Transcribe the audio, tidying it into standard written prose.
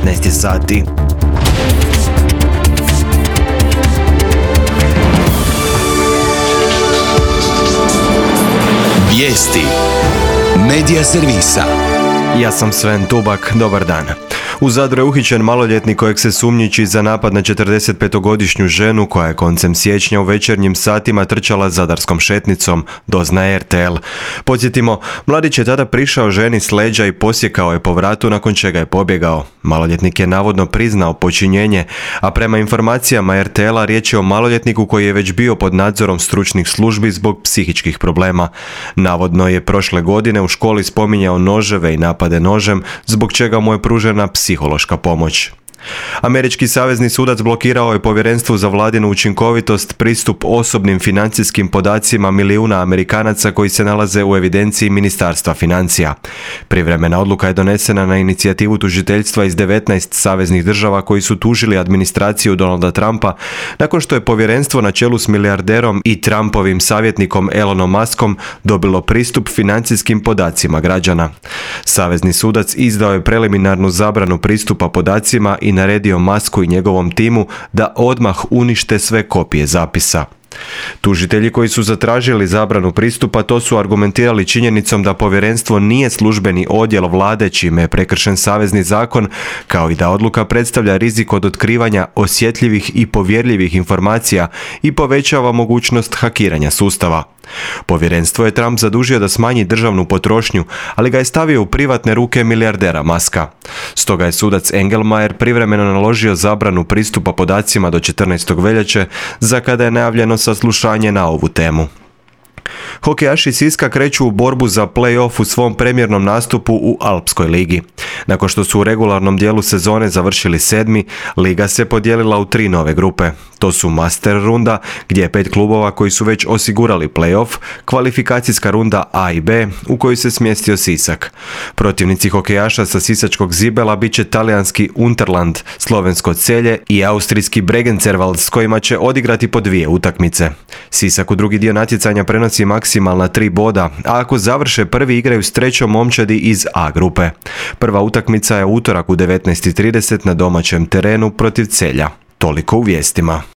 19 sati. Vijesti Medija servisa. Ja sam Sven Tubak, dobar dan. U Zadru je uhićen maloljetnik kojeg se sumnjiči za napad na 45-godišnju ženu koja je koncem siječnja u večernjim satima trčala zadarskom šetnicom, doznaje RTL. Podsjetimo, mladić je tada prišao ženi s leđa i posjekao je po vratu nakon čega je pobjegao. Maloljetnik je navodno priznao počinjenje, a prema informacijama RTL-a riječ je o maloljetniku koji je već bio pod nadzorom stručnih službi zbog psihičkih problema. Navodno je prošle godine u školi spominjao noževe i napade nožem, zbog čega mu je pružena psihološka pomoć. Američki savezni sudac blokirao je Povjerenstvu za vladinu učinkovitost pristup osobnim financijskim podacima milijuna Amerikanaca koji se nalaze u evidenciji Ministarstva financija. Privremena odluka je donesena na inicijativu tužiteljstva iz 19 saveznih država koji su tužili administraciju Donalda Trumpa nakon što je povjerenstvo na čelu s milijarderom i Trumpovim savjetnikom Elonom Muskom dobilo pristup financijskim podacima građana. Savezni sudac izdao je preliminarnu zabranu pristupa podacima i naredio Musku i njegovom timu da odmah unište sve kopije zapisa. Tužitelji koji su zatražili zabranu pristupa to su argumentirali činjenicom da povjerenstvo nije službeni odjel vlade čime je prekršen savezni zakon, kao i da odluka predstavlja rizik od otkrivanja osjetljivih i povjerljivih informacija i povećava mogućnost hakiranja sustava. Povjerenstvo je Trump zadužio da smanji državnu potrošnju, ali ga je stavio u privatne ruke milijardera Muska. Stoga je sudac Engelmayer privremeno naložio zabranu pristupa podacima do 14. veljače, za kada je najavljeno saslušanje na ovu temu. Hokejaši Siska kreću u borbu za play-off u svom premijernom nastupu u Alpskoj ligi. Nakon što su u regularnom dijelu sezone završili 7. liga se podijelila u 3 nove grupe. To su Master runda, gdje je 5 klubova koji su već osigurali play-off, kvalifikacijska runda A i B, u kojoj se smjestio Sisak. Protivnici hokejaša sa sisačkog Zibela bit će talijanski Unterland, slovensko Celje i austrijski Bregencervald, s kojima će odigrati po 2 utakmice. Sisak u drugi dio natjecanja prenosi maksimalna 3 boda, a ako završe prvi igraju s trećom momčadi iz A grupe. Prva utakmica je utorak u 19:30 na domaćem terenu protiv Celja. Toliko u vijestima.